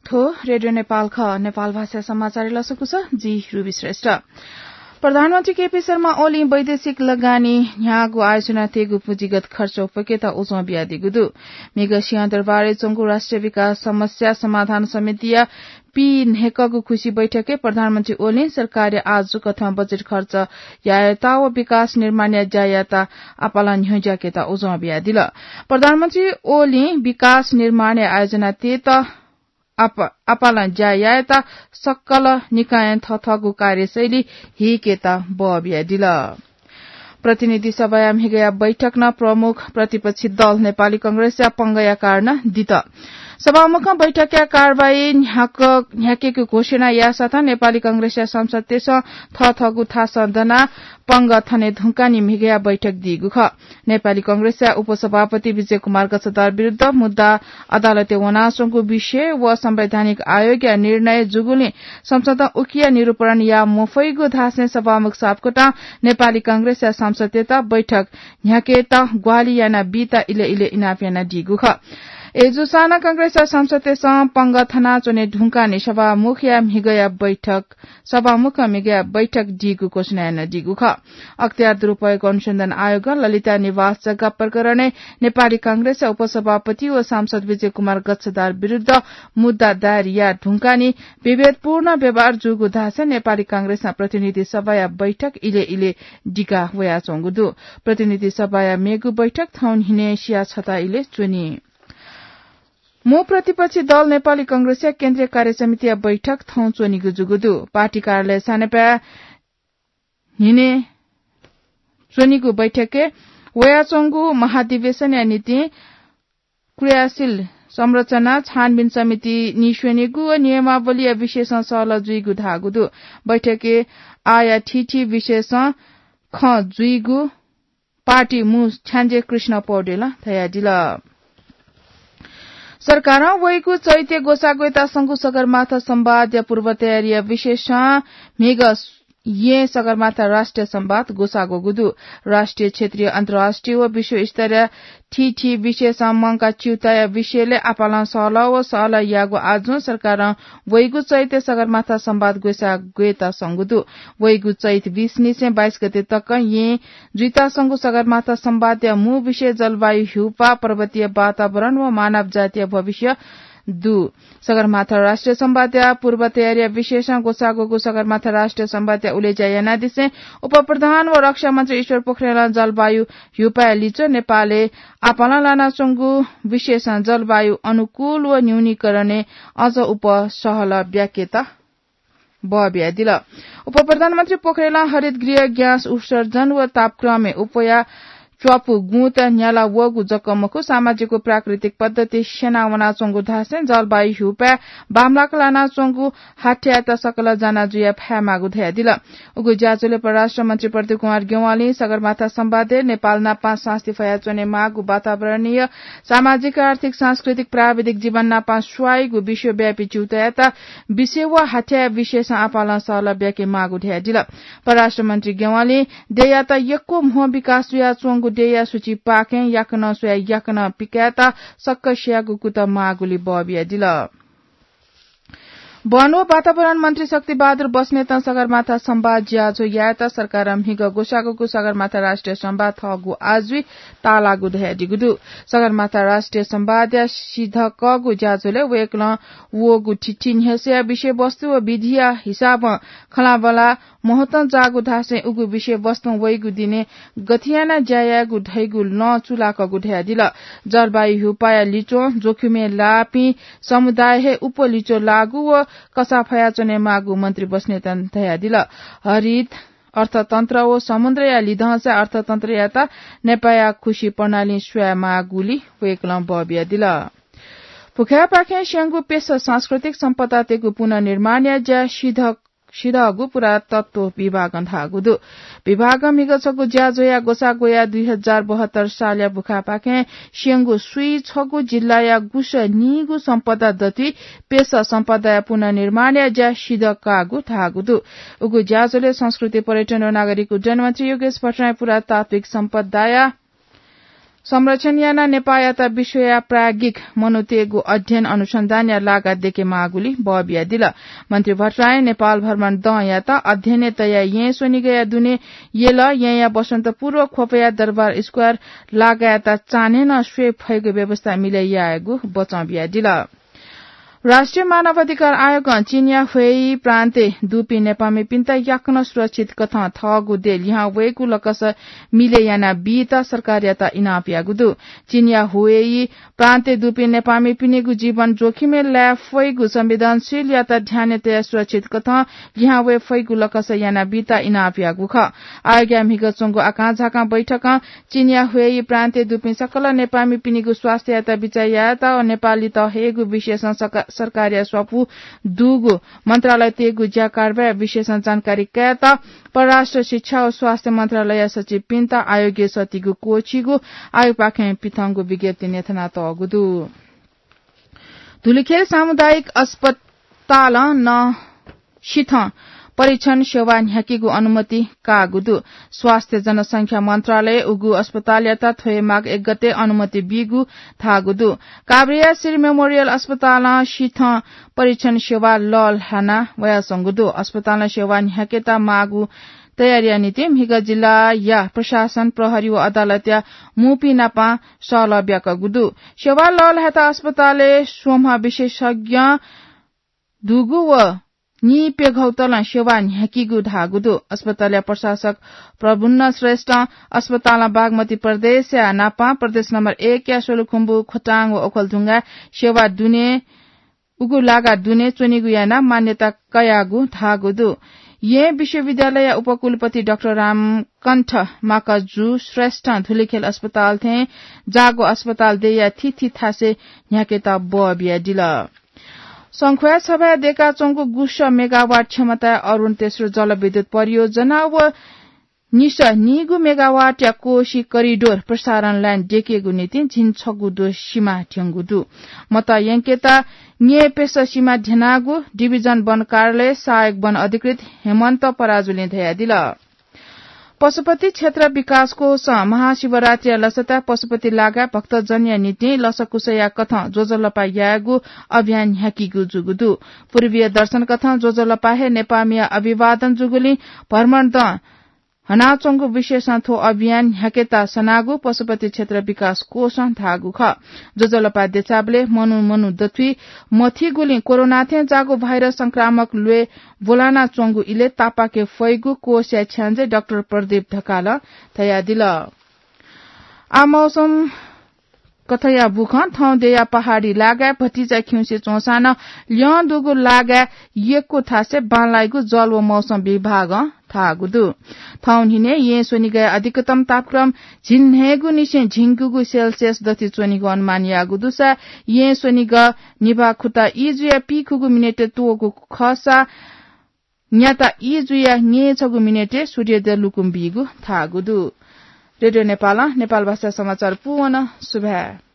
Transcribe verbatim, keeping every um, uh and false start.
थ्व रेडियो नेपाल खः। नेपाल भाषा समाचार लसकुस, जि रुबी श्रेष्ठ। प्रधानमन्त्री केपी शर्मा ओलीं वैदेशिक लगानी न्ह्याःगु आयोजना तयेगु पुँजीगत खर्च उप्वकेत उजं बियादीगु दु। म्हिगः सिंहदरबारय् च्वंगु राष्ट्रिय विकास समस्या समाधान समितिया पीन्हय्कःगु खुसी बैठकय् प्रधानमन्त्री ओलीं सरकारया आजुकथं बजेट खर्च यायेत व विकास निर्माणया ज्या यायेत आपालं न्ह्यज्याकेत उजं बियादिल। प्रधानमन्त्री ओलीं विकास निर्माणया आयोजना तयेत आप-, आपालं ज्या यायेत सकल निकायं थःथःगु कार्यशैली हीकेत बः बियादिल। प्रतिनिधि सभाया म्हिगःया बैठकं प्रमुख प्रतिपक्षी दल नेपाली कांग्रेसया पंगःया कारणं दित। सभामुखं बैठकया कारवाही न्ह्याक-, न्ह्याकेगु घोषणा याःसाथं नेपाली कांग्रेसया सांसदतय्सं थःथःगु थासं दनाः पंगः थने धुंकाः नि म्हिगःया बैठक दीगु खः। नेपाली कांग्रेसया उपसभापति विजय कुमार गच्छदार विरुद्ध मुद्दा अदालतय् वनाच्वंगु विषय व संवैधानिक आयोगया निर्णय जूगुलिं संसदं उकिया निरूपण याये मफइगु धासें सभामुख सापकोटां नेपाली कांग्रेसया सांसदतय्त बैठक न्ह्याकेत ग्वाहालि यानाबीत इलय् इलय् इनाप यानादीगु खः। अय्जूसां नं कांग्रेसया सांसदतय्सं पंगः थनाच्वने धुंकाः नि सभामुखया म्हिगःया बैठक सभामुखं म्हिगःया बैठक दीगु घोषणा यानादीगु खः। अख्तियार दुरुपयोग अनुसन्धान आयोगं ललिता निवास जग्गा प्रकरणय् नेपाली कांग्रेसया उपसभापति व सांसद विजय कुमार गच्छदार विरुद्ध मुद्दा दायर याये धुंकाः नि विभेदपूर्ण व्यवहार जूगु धासें नेपाली कांग्रेसं प्रतिनिधि सभाया बैठक इलय् इलय् दिका वयाच्वंगु दु। प्रतिनिधि सभाया मेगु बैठक थौं न्हिनय् सिया छता इलय् च्वनी। मू प्रतिपक्षी दल नेपाली कांग्रेसया केन्द्रीय कार्यसमितिया बैठक थौं च्वनीगु जूगु दु। पार्टी कार्यालय सानेपाय् न्हिनय् च्वनीगु बैठकय् वयाच्वंगु महाधिवेशनया निंतिं क्रियाशील संरचना छानबिन समिति निस्वनेगु व नियमावलीया विषयसं सहलह जुइगु धाःगु दु। बैठकय् आःया थीथी विषयसं खँ जुइगु पार्टी मू छ्याञ्जे कृष्ण पौडेलं धयादिल। सरकारं वइगु चैत्य ग्वसाः ग्वयेत संगु सगरमाथा संवादया पूर्व तयारीया विषयसं म्हिगः येँ सगरमाथा राष्ट्रिय संवाद ग्वसाः ग्वःगु दु। राष्ट्रिय, क्षेत्रीय, अन्तर्राष्ट्रिय व विश्वस्तरीय थीथी विषयसं मंकाः च्यूताया विषयलय् आपालं सहलह व सहलह याःगु आजुं सरकारं वइगु चैत्य सगरमाथा संवाद ग्वसाः ग्वयेत संगु दु। वइगु चैत बीस निसें बाइस गते तक येँ जुइता संगु सगरमाथा संवादया मू विषय जलवायु, ह्यूपाः, पर्वतीय वातावरण व मानव जातिया भविष्य दु। सगरमाथा राष्ट्रिय संवादया पूर्व तयारीया विषयसं ग्वसाः ग्वःगु सगरमाथा राष्ट्रिय संवादया उलेज्या यानादिसें उपप्रधान व रक्षा मन्त्री ईश्वर पोखरेलं जलवायु, ह्यूपाःया लिच्वः नेपालय् आपालं लानाच्वंगु विषयसं जलवायु अनुकूल व न्यूनीकरणय् अझ उप सहलह ब्याकेत बः बियादिल। उपप्रधानमन्त्री पोखरेलं हरित गृह ग्यास उत्सर्जन व तापक्रमय् उप्वया च्वापु गुँत न्याला वःगु जक मखु, सामाजिक व प्राकृतिक पद्धति स्यना वनाच्वंगु धासें जलवायु ह्यूपाः बांमलाक लानाच्वंगु हाथ्यायात सकल जाना जुया फयेमाःगु धयादिल। उगु ज्याझ्वलय् परराष्ट्र मन्त्री प्रदीप कुमार ज्ञवालीं सगरमाथा संवादय् नेपाल नापं सास्ती फयाच्वनेमाःगु वातावरणीय, सामाजिक, आर्थिक, सांस्कृतिक, प्राविधिक जीवन नापं स्वाइगु विश्वव्यापी च्यूतायात विषय व हाथ्याया विषयसं आपालं सहलह ब्याकेमाःगु धयादिल। परराष्ट्र मन्त्री ज्ञवालीं देय्‌यात यक्व म्हो विकास जुयाच्वंगु देय्‌या सूचीपाखें याकनं स्वयाः याकनं पिकायेत सक्कसियागु कुतः माःगुलि बः बियादिल। वन व वातावरण मन्त्री शक्तिबहादुर बस्नेतं सगरमाथा संवाद ज्याझ्वः यायेत सरकारं म्हिगः ग्वसाः ग्वःगु सगरमाथा राष्ट्रिय संवाद थःगु आजुइ ताःलाःगु धयादीगु दु। सगरमाथा राष्ट्रिय संवादया सिधकःगु ज्याझ्वलय् वय्‌कलं वःगु थीथी न्ह्यसःया विषयवस्तु व विधिया हिसाबं खँल्हाबल्हा महत्वं जाःगु धासें उगु विषयवस्तुं वइगु दिनय् गथे यानाः ज्या यायेगु धइगु लँ चूलाकःगु धयादिल। जलवायु ह्यूपाःया लिच्वं जोखिमय् लाःपिं समुदाय हे उप लिच्वः लाःगु व कसाः फयाच्वनेमाःगु मन्त्री बस्नेतं धयादिल। हरित अर्थतन्त्र व समुद्रया लिधंसा अर्थतन्त्रयात नेपाःया खुसी प्रणालीं स्वयेमाःगुलि वय्‌कलं बः बियादिल। भुखाय्‌पाखें स्यंगु पेसा सांस्कृतिक सम्पदातय्‌गु पुनर्निर्माणया ज्या सिधक सिधःगु पुरातत्व विभागं धाःगु दु। विभागं म्हिगः छगू ज्याझ्वःया ग्वसाः ग्वयाः दुई हजार बहत्तर सालया भुखाय्‌पाखें स्यंगु स्वीछगू जिल्लाया गुसाः नीगू सम्पदा दथुइ पेसा सम्पदाया पुनर्निर्माणया ज्या सिधकाःगु धाःगु दु। उगु ज्याझ्वलय् संस्कृति, पर्यटन व नागरिक उड्डयन मन्त्री योगेश भट्टराईं पुरातात्विक सम्पदाया संरक्षण यानाः नेपाःयात विश्वया प्राज्ञिक मनूतय्गु अध्ययन अनुसन्धानया लागा देके माःगुलिं बः बियादिल। मन्त्री भट्टराईं नेपाल भ्रमण दँयात अध्ययनय् तयाः येँ स्वनिगःया दुने यल, येँया बसन्तपुर व ख्वपया दरबार स्क्वायर लागायात चान्हय् नं स्वये फइगु व्यवस्था मिले यायेगु बचं बियादिल। राष्ट्रिय मानव अधिकार आयोगं चीनया ह्वेई प्रान्तय् दुपिं नेपाःमिपिन्त याकनं सुरक्षित कथं थःगु देय् लिहां वयेगु लकस मिले याना बीत सरकारयात इनाप याःगु दु। चीनया ह्वेई प्रान्तय् दुपिं नेपाःमिपिनिगु जीवन जोखिमय् लाये फइगु संवेदनशीलयात ध्यानय् तयाः सुरक्षित कथं लिहां वये फइगु लकस याना बीत इनाप याःगु खः। आयोगया म्हिगः च्वंगु आकांझाकां बैठकं चीनया ह्वेई प्रान्तय् दुपिं सकल नेपाःमिपिनिगु स्वास्थ्ययात बिचाः यायेत व नेपाःलित हयेगु विषयसं सका-, सरकारया स्वापू दुगु मन्त्रालयतय्गु ज्या कारवाही विषयसं जानकारी कायेत परराष्ट्र शिक्षा व स्वास्थ्य मन्त्रालयया सचिवपिन्त आयोगय् सःतीगु क्वःछिइगु आयोगपाखें पिथंगु विज्ञप्तिइ न्ह्यथनातःगु दु। धुलिखेल सामुदायिक अस्पतालं नं सिथं परीक्षण सेवा न्ह्याकीगु अनुमति काःगु दु। स्वास्थ्य जनसंख्या मन्त्रालयं उगु अस्पतालयात थ्व हे माघ एक गते अनुमति बीगु धाःगु दु। काभ्रेया श्री मेमोरियल अस्पतालं सिथं परीक्षण सेवा लःल्हाना वयाच्वंगु दु। अस्पतालं सेवा न्ह्याकेत माःगु तयारीया निंतिं म्हिगः जिल्लाया प्रशासन, प्रहरी व अदालतया मूपिं नाप सहलह ब्याकःगु दु। सेवा लःल्हायेत अस्पतालय् स्वम्ह विशेषज्ञ दुगु व नीप्यघौ तलं सेवा न्ह्याकीगु धाःगु दु। अस्पतालया प्रशासक प्रभुन्न श्रेष्ठं अस्पतालं बागमती प्रदेशया नाप प्रदेश नम्बर एक या सोलुखुम्बु, खोटाङ व ओखलढुङ्गाय् सेवा दुने उगु लागा दुने च्वनीगु यानाः मान्यता कयागु धाःगु दु। येँ विश्वविद्यालयया उपकुलपति डाक्टर रामकण्ठ माकाजु श्रेष्ठं धुलिखेल अस्पताल थें जाःगु अस्पताल देय्या थीथी थासय् न्ह्याकेत बः बियादिल। संख्वाया छभाय् दय्काच्वंगु गुसः मेगावाट क्षमताया अरुण तेस्रो जलविद्युत परियोजना व निसः नीगु मेगावाटया कोशी करिडोर प्रसारण लाइन दय्केगु निंतिं झिंछगू द्वः सिमा थ्यंगु दु। मत यंकेत न्येपेस सिमा ध्यनागु डिभिजन वन कार्यालय सहायक वन अधिकृत हेमन्त पराजुलीं धयादिल। पशुपति क्षेत्र विकास कोषं महाशिवरात्रिया लसताय् पशुपति लागाय् भक्तजनया निंतिं लसकुसया कथं ज्वजलपा यायेगु अभियान न्ह्याकीगु जूगु दु। पूर्वीय दर्शन कथं ज्वजलपा हे नेपाःमिया अभिवादन जूगुलिं भ्रमण दँ हनाच्वंगु विषयसं थ्व अभियान न्ह्याकेत सनागु पशुपति क्षेत्र विकास कोषं धाःगु खः। ज्वजलपा देछाबलय् मनू मनू दथुइ मथीगुलिं कोरोना थें जाःगु भाइरस संक्रामक ल्वय् ब्वलानाच्वंगु इलय् तापाके फइगु कोषया छ्याञ्जे डाक्टर प्रदीप ढकालं धयादिल। आः मौसम कथंया बुखँ। थौं देय्या पहाडी लागाय् भतिचा खिउँसे च्वंसां नं ल्यं दुगु लागाय् यक्व थासय् बांलाइगु जल व मौसम विभागं धाःगु दु। थौं न्हिनय् येँ स्वनिगःया अधिकतम तापक्रम झिंन्हय्गुनिसें झिंगुगु सेल्सियस दथुइ च्वनीगु अनुमान याःगु दुसा येँ स्वनिगः निभाखुता ई जुया पीखुगू मिनेटय् त्वःगु खःसा न्याता ई जुया न्यय्छगू मिनेटय् सूर्योदय लुकुं बीगु धाःगु दु। रेडियो नेपालं नेपाल भाषा समाचार पूवन। सुभाय्।